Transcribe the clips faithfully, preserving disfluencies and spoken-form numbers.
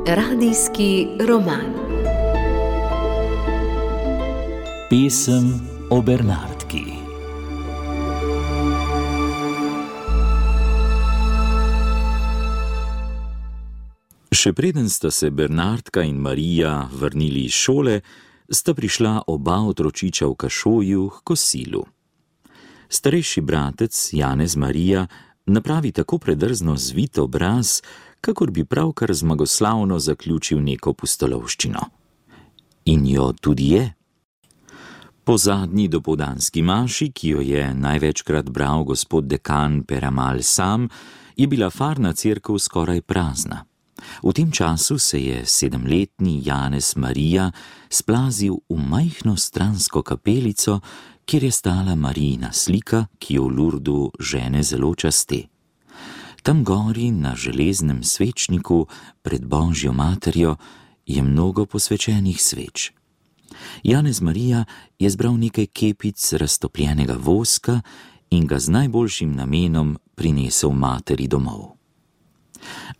Radijski roman. Pesem o Bernardki. Še preden sta se Bernardka in Marija vrnili iz šole, sta prišla oba otročiča v kašoju k kosilu. Starejši bratec, Janez Marija, napravi tako predrzno zvit obraz, kakor bi pravkar zmagoslavno zaključil neko pustolovščino. In jo tudi je. Po zadnji dopoldanski maši, ki jo je največkrat bral gospod dekan Peramal sam, je bila farna cerkev skoraj prazna. V tem času se je sedemletni Janez Marija splazil v majhno stransko kapelico, kjer je stala Marijina slika, ki jo v Lurdu žene zelo časti. Tam gori na železnem svečniku pred Božjo materjo je mnogo posvečenih sveč. Janez Marija je zbral nekaj kepic raztopljenega voska in ga z najboljšim namenom prinesel materi domov.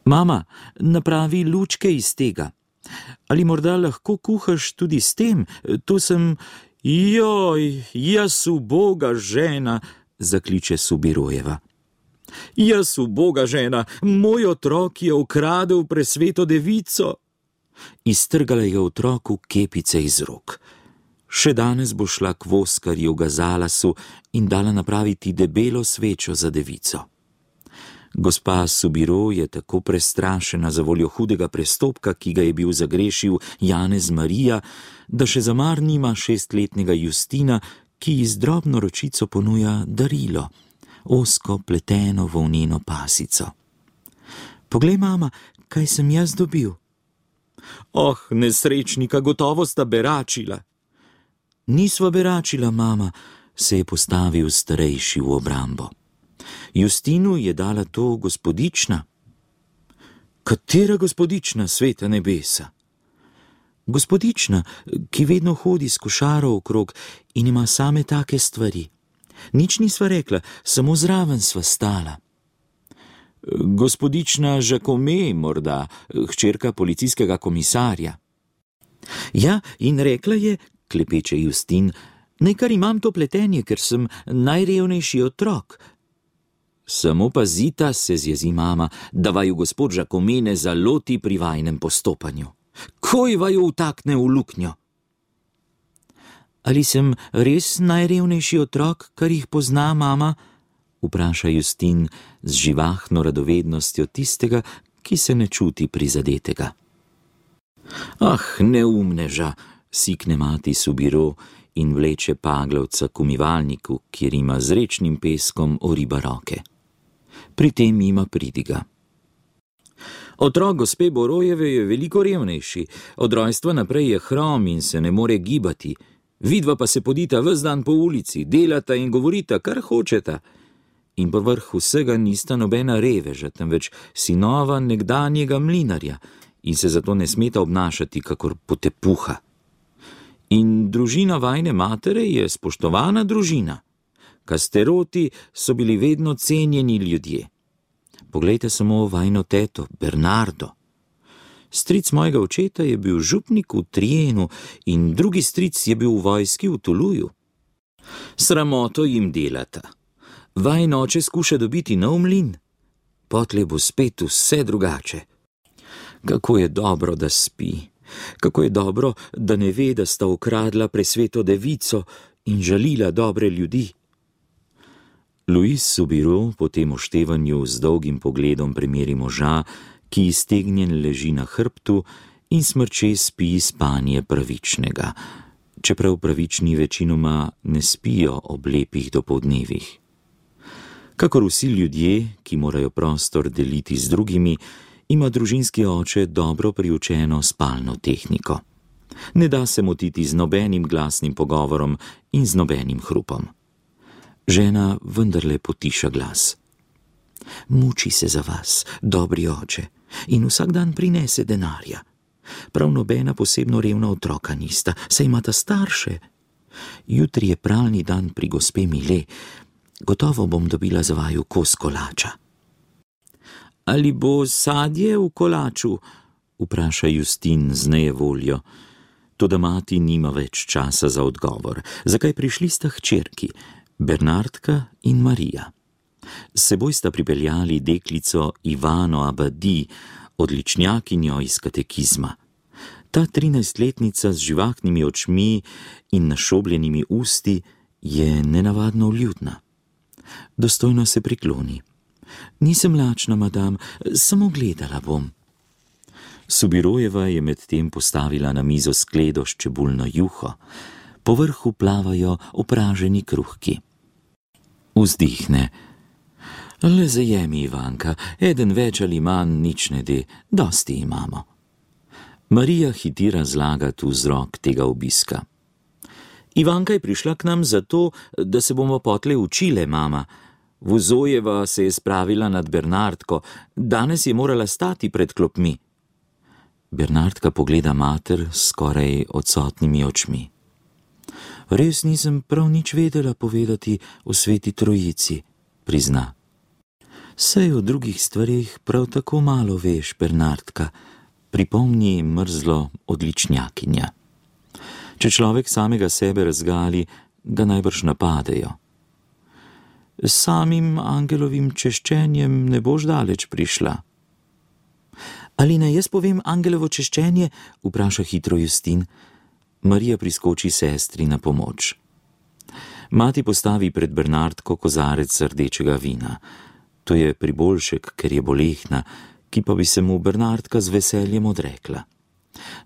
Mama, napravi lučke iz tega. Ali morda lahko kuhaš tudi s tem? To sem... Joj, jaz uboga žena, zakliče Subirojeva. Jaz uboga žena, moj otrok je ukradel presveto devico. Iztrgala je otroku kepice iz rok. Še danes bo šla k voskarju Gazalasu in dala napraviti debelo svečo za devico. Gospa Subiro je tako prestrašena za voljo hudega prestopka, ki ga je bil zagrešil Janez Marija, da še zamar nima šestletnega Justina, ki ji z drobno ročico ponuja darilo, ozko pleteno volneno pasico. Poglej, mama, kaj sem jaz dobil. Oh, nesrečnika, gotovo sta beračila. Nisva beračila, mama, se je postavil starejši v obrambo. Justinu je dala to gospodična. Katera gospodična, sveta nebesa? Gospodična, ki vedno hodi s košaro okrog in ima same take stvari. Nič nisva rekla, samo zraven sva stala. Gospodična Žakome, morda, hčerka policijskega komisarja. Ja, in rekla je, klepeče Justin, naj kar imam to pletenje, ker sem najrevnejši otrok. Samo pazita, se zjezi mama, da vaju gospod Žakome ne zaloti pri vajnem postopanju. Koj vaju vtakne v luknjo? Ali sem res najrevnejši otrok, kar jih pozna mama? Vpraša Justin z živahno radovednostjo tistega, ki se ne čuti prizadetega. Ah, neumneža, sikne mati Subiro in vleče paglavca k umivalniku, kjer ima z rečnim peskom oriba roke. Pri tem ima pridiga. Otrok gospe Borojeve je veliko revnejši, od rojstva naprej je hrom in se ne more gibati. Vidva pa se podita ves dan po ulici, delata in govorita, kar hočeta. In povrh vsega nista nobena reveža, temveč sinova nekdanjega mlinarja in se zato ne smeta obnašati kakor potepuha. In družina vajne matere je spoštovana družina. Kasteroti so bili vedno cenjeni ljudje. Poglejte samo vajno teto, Bernardo. Stric mojega očeta je bil župnik v Trijenu in drugi stric je bil v vojski v Tuluju. Sramoto jim delata. Vajn oče skuša dobiti nov mlin. Potlej bo spet vse drugače. Kako je dobro, da spi. Kako je dobro, da ne ve, da sta ukradla presveto devico in žalila dobre ljudi. Louis Subiro po tem oštevanju z dolgim pogledom premeri moža, ki iztegnjen leži na hrbtu in smrče spi spanje pravičnega, čeprav pravični večinoma ne spijo ob lepih dopoldnevih. Kakor vsi ljudje, ki morajo prostor deliti z drugimi, ima družinski oče dobro priučeno spalno tehniko. Ne da se motiti z nobenim glasnim pogovorom in z nobenim hrupom. Žena vendarle potiša glas. Muči se za vas, dobri oče, in vsak dan prinese denarja. Prav nobena posebno revna otroka nista, saj imata starše. Jutri je pralni dan pri gospe Mile. Gotovo bom dobila za vaju kos kolača. Ali bo sadje v kolaču? Vpraša Justin z nejevoljo. Toda mati nima več časa za odgovor. Zakaj prišli sta hčerki, Bernardka in Marija. S seboj sta pripeljali deklico Ivano Abadi, odličnjakinjo iz katekizma. Ta trinajstletnica z živahnimi očmi in našobljenimi usti je nenavadno vljudna. Dostojno se prikloni. Nisem lačna, madam, samo gledala bom. Subirojeva je medtem postavila na mizo skledo s čebulno juho. Po vrhu plavajo opraženi kruhki. Vzdihne. Le zajemi, Ivanka, eden več ali manj nič ne de, dosti imamo. Marija hiti razlagati vzrok tega obiska. Ivanka je prišla k nam zato, da se bomo potle učile, mama. Vuzojeva se je spravila nad Bernardko, danes je morala stati pred klopmi. Bernardka pogleda mater s skoraj odsotnimi očmi. Res nisem prav nič vedela povedati o sveti trojici, prizna. Saj o drugih stvarih prav tako malo veš, Bernardka, pripomni mrzlo odličnjakinja. Če človek samega sebe razgali, ga najbrž napadejo. S samim angelovim češčenjem ne boš daleč prišla. Ali naj jaz povem angelovo češčenje? Vpraša hitro Justin. Marija priskoči sestri na pomoč. Mati postavi pred Bernardko kozarec rdečega vina. To je priboljšek, ker je bolehna, ki pa bi se mu Bernardka z veseljem odrekla.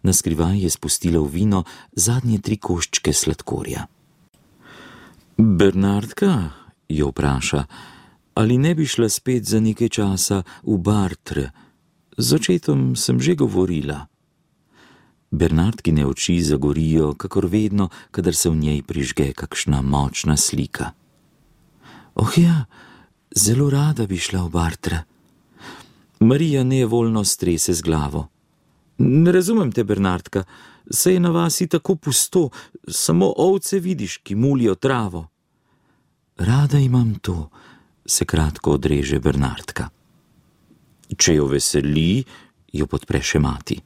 Naskrivaj je spustila v vino zadnje tri koščke sladkorja. Bernardka, jo vpraša, ali ne bi šla spet za nekaj časa v Bartre? Z očetom sem že govorila. Bernardkine oči zagorijo, kakor vedno, kadar se v njej prižge kakšna močna slika. Oh ja, zelo rada bi šla v Bartre. Marija nejevoljno strese z glavo. Ne razumem te, Bernardka, saj je na vasi tako pusto, samo ovce vidiš, ki mulijo travo. Rada imam to, se kratko odreže Bernardka. Če jo veseli, jo podpre še mati.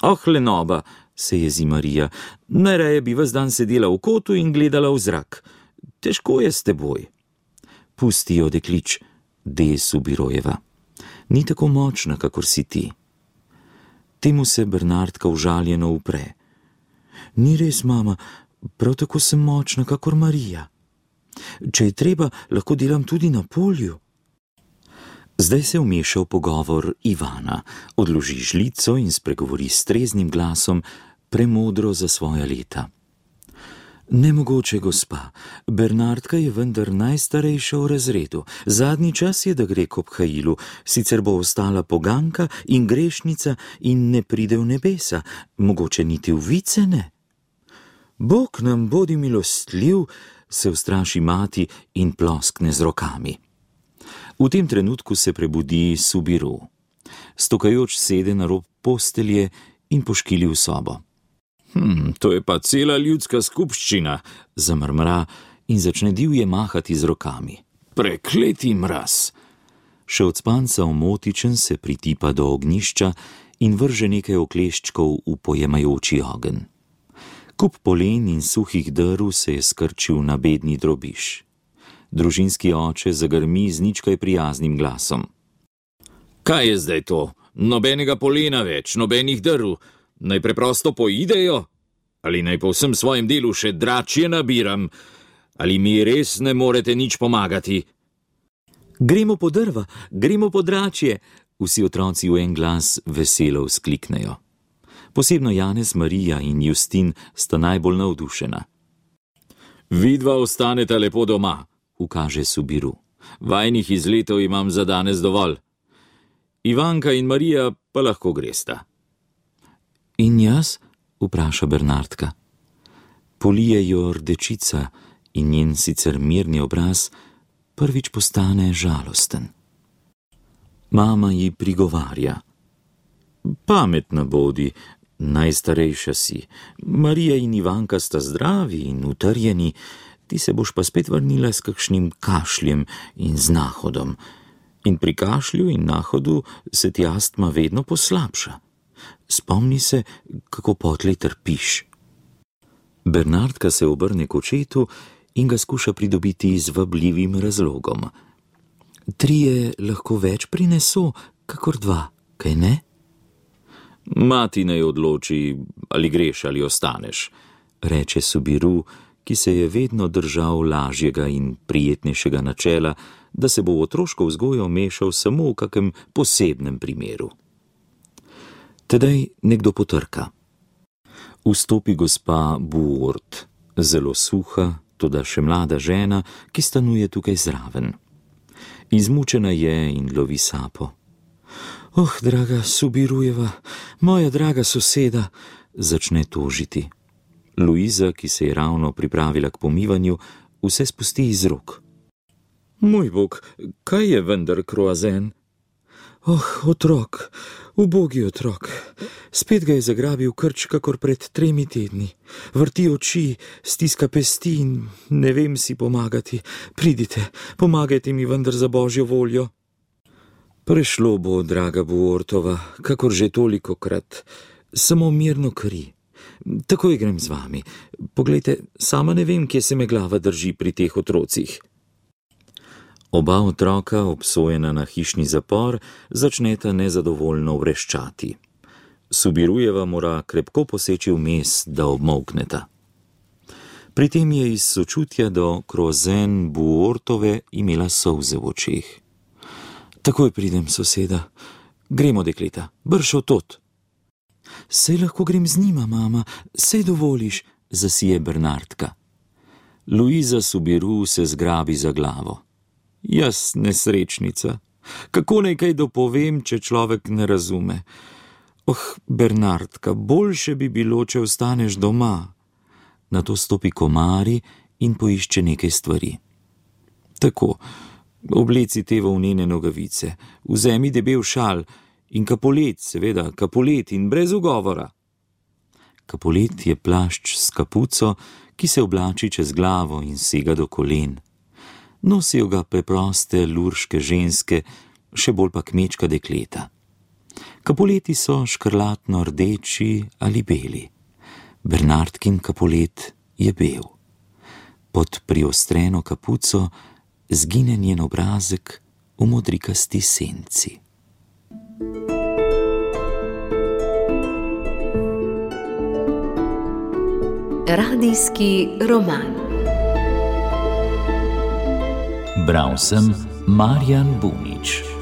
Oh, lenoba, se jezi Marija, najraje bi ves dan sedela v kotu in gledala v zrak. Težko je s teboj. Pusti jo, deklič, de Subirojeva. Ni tako močna, kakor si ti. Temu se Bernardka užaljeno upre. Ni res, mama, prav tako sem močna, kakor Marija. Če je treba, lahko delam tudi na polju. Zdaj se vmeša v pogovor Ivana, odloži žlico in spregovori s treznim glasom, premodro za svoja leta. Nemogoče, gospa, Bernardka je vendar najstarejša v razredu. Zadnji čas je, da gre k obhajilu, sicer bo ostala poganka in grešnica in ne pride v nebesa, mogoče niti v vice ne. Bog nam bodi milostljiv, se ustraši mati in ploskne z rokami. V tem trenutku se prebudi Subiru. Stokajoč sede na rob postelje in poškili v sobo. Hm, to je pa cela ljudska skupščina, zamrmra in začne divje mahati z rokami. Prekleti mraz! Še od spanca omotičen se pritipa do ognjišča in vrže nekaj okleščkov v pojemajoči ogenj. Kup polen in suhih drv se je skrčil na bedni drobiž. Družinski oče zagrmi z ničkaj prijaznim glasom. Kaj je zdaj to? Nobenega polena več, nobenih drv. Naj preprosto poidejo? Ali naj po vsem svojem delu še dračje nabiram? Ali mi res ne morete nič pomagati? Gremo po drva, gremo po dračje, vsi otroci v en glas veselo vzkliknejo. Posebno Janez, Marija in Justin sta najbolj navdušena. Vidva ostaneta lepo doma, ukaže Subiru. Vajnih izletov imam za danes dovolj. Ivanka in Marija pa lahko gresta. In jaz? Vpraša Bernardka. Polije jo rdečica in njen sicer mirni obraz prvič postane žalosten. Mama ji prigovarja. Pametna bodi, najstarejša si. Marija in Ivanka sta zdravi in utrjeni, ti se boš pa spet vrnila s kakšnim kašljem in z nahodom. In pri kašlju in nahodu se ti astma vedno poslabša. Spomni se, kako potlej trpiš. Bernardka se obrne k očetu in ga skuša pridobiti z vabljivim razlogom. Trije lahko več prineso, kakor dva, kaj ne? Mati naj odloči, ali greš ali ostaneš, reče Subiru, ki se je vedno držal lažjega in prijetnejšega načela, da se bo v otroško vzgojo mešal samo v kakem posebnem primeru. Tedaj nekdo potrka. Vstopi gospa Buort, zelo suha, toda še mlada žena, ki stanuje tukaj zraven. Izmučena je in lovi sapo. Oh, draga Subirujeva, moja draga soseda, začne tožiti. Luiza, ki se je ravno pripravila k pomivanju, vse spusti iz rok. Moj bog, kaj je vendar kroazen? Oh, otrok, ubogi otrok, spet ga je zagrabil krč, kakor pred tremi tedni. Vrti oči, stiska pesti in ne vem si pomagati. Pridite, pomagajte mi vendar za božjo voljo. Prešlo bo, draga Buortova, kakor že tolikokrat, samo mirno kri. Takoj grem z vami. Poglejte, sama ne vem, kje se me glava drži pri teh otrocih. Oba otroka, obsojena na hišni zapor, začneta nezadovoljno vreščati. Subirujeva mora krepko poseči vmes, da obmolkneta. Pri tem je iz sočutja do kroazen Buortove imela solze v očeh. Takoj pridem, soseda. Gremo, dekleta, brž otot. Sej lahko grem z njima, mama, sej dovoliš, zasije Bernardka. Luiza Subiru se zgrabi za glavo. Jaz, nesrečnica, kako naj kaj dopovem, če človek ne razume? Oh, Bernardka, boljše bi bilo, če ostaneš doma. Nato stopi k omari in poišče nekaj stvari. Tako, obleci te volnene nogavice, vzemi debel šal in kapolet, seveda, kapolet in brez ugovora. Kapolet je plašč s kapuco, ki se oblači čez glavo in sega do kolen. Nosijo ga preproste lurške ženske, še bolj pa kmečka dekleta. Kapoleti so škrlatno rdeči ali beli. Bernardkin kapolet je bel. Pod priostreno kapuco zgine njen obrazek v modrikasti senci. Radijski roman. Bral sem Marjan Bunič.